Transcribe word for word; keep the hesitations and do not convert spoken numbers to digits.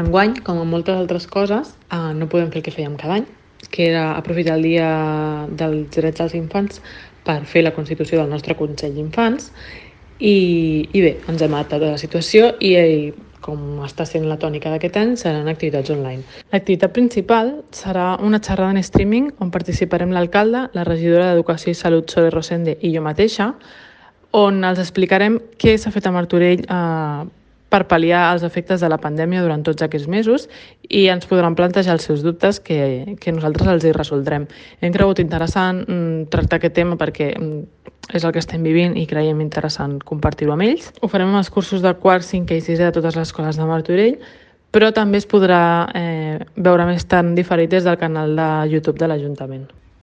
Enguany, com en moltes altres coses, eh, no podem fer el que fèiem cada any, que era aprofitar el Dia dels Drets dels Infants per fer la constitució del nostre Consell d'Infants i, i bé, ens hem adaptat a la situació i, i com està sent la tònica d'aquest any, seran activitats online. L'activitat principal serà una xerrada en streaming on participarem l'alcalde, la regidora d'Educació i Salut, Zoe Rosende, i jo mateixa, on els explicarem què s'ha fet a Martorell eh, per pal·liar els efectes de la pandèmia durant tots aquests mesos i ens podran plantejar els seus dubtes que, que nosaltres els hi resoldrem. Hem cregut interessant mm, tractar aquest tema perquè mm, és el que estem vivint i creiem interessant compartir-ho amb ells. Ho farem amb els cursos de quart, cinquè i sisè de totes les escoles de Martorell, però també es podrà eh, veure més tard diferit des del canal de YouTube de l'Ajuntament.